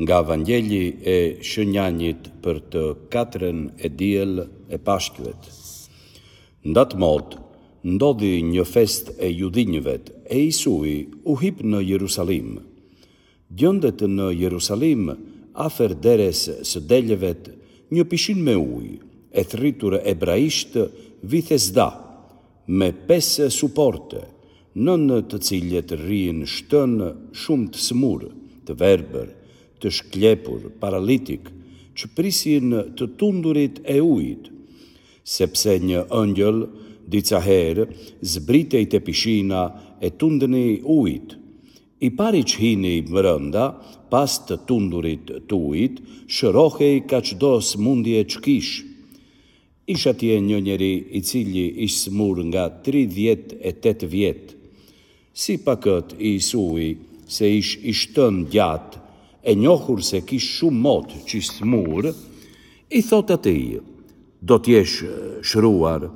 Nga Vangjeli e Shën Janit për të katrën e diel e Pashkëvet. Nd'atë mot ndodhi një festë e Judhinjëvet e Iisui u hip në Jerusalim. Gjëndet në Jerusalim, afer deres së delevet, një pishinë me ujë, e thrritur ebraisht Vithesda, me pesë suporte, nën të cilët rrijnë shtënë shumë të sëmurë, të verbër, të shklepur, paralitikë, që prisnin të tundurit e ujit, sepse një ëngjëll dica herë zbritej te pishina e tundnej ujit. I pari që hinej mbrënda, pas të tundurit t'ujit, shërohej ka çdo sëmundje që kish. Ish atje një njeri i cili ish sëmurë nga 38 vjet. Si pa kët Iisui se ish i shtënë gjatë, e njohur se kish shumë mot q'ish sëmurë, i thot atij, Do t'jesh shëruar?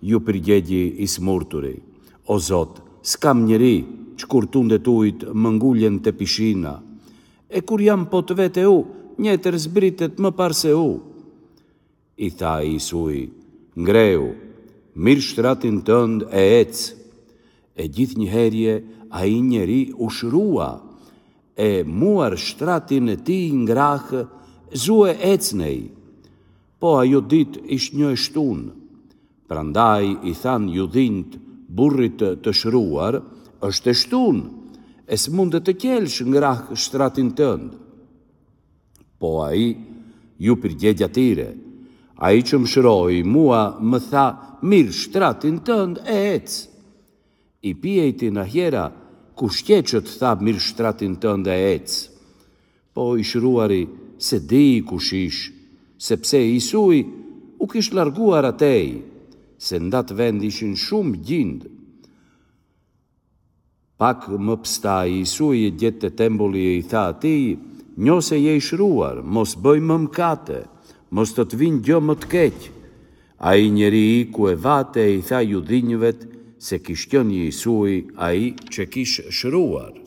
Ju përgjegji i sëmurturi, O Zot, s'kam njeri që kur tundet ujit më nguljen te pishina. E kur jam po të vete u, njetër zbritet më parë se u. I tha Iisui, Ngreu, mirr shtratin tënd e ec. E gjithnjëherje ai njeri u shërua, e muar shtratin e tij ngrah, zu e ecnej. Po ajo ditë ish një e shtunë. Prandaj i thanë judhinjtë burrit të shëruar, Është e shtunë, e s'mundet të qelsh ngrah shtratin tënd. Po ai ju përgjegj atyre, Ai që më shëroi mua më tha, mirr shtratin tënd e ec. I piejtin ahiera, kush qe që të tha mirr shtratin tënd e ec? Po i shëruari s'e dij kush ish, sepse Iisui u kish larguar atej, se nd'atë vend ishin shumë gjindë. Pak më pstaj Iisui e gjet te tembulli e i tha atij, Njo se je i shëruar, mos bëj më mkate, mos të të vinjë gjë më të keq. Ai njeri iku e vate e i tha judhinjëvet se kish qenë Iisui ai që kish shëruar.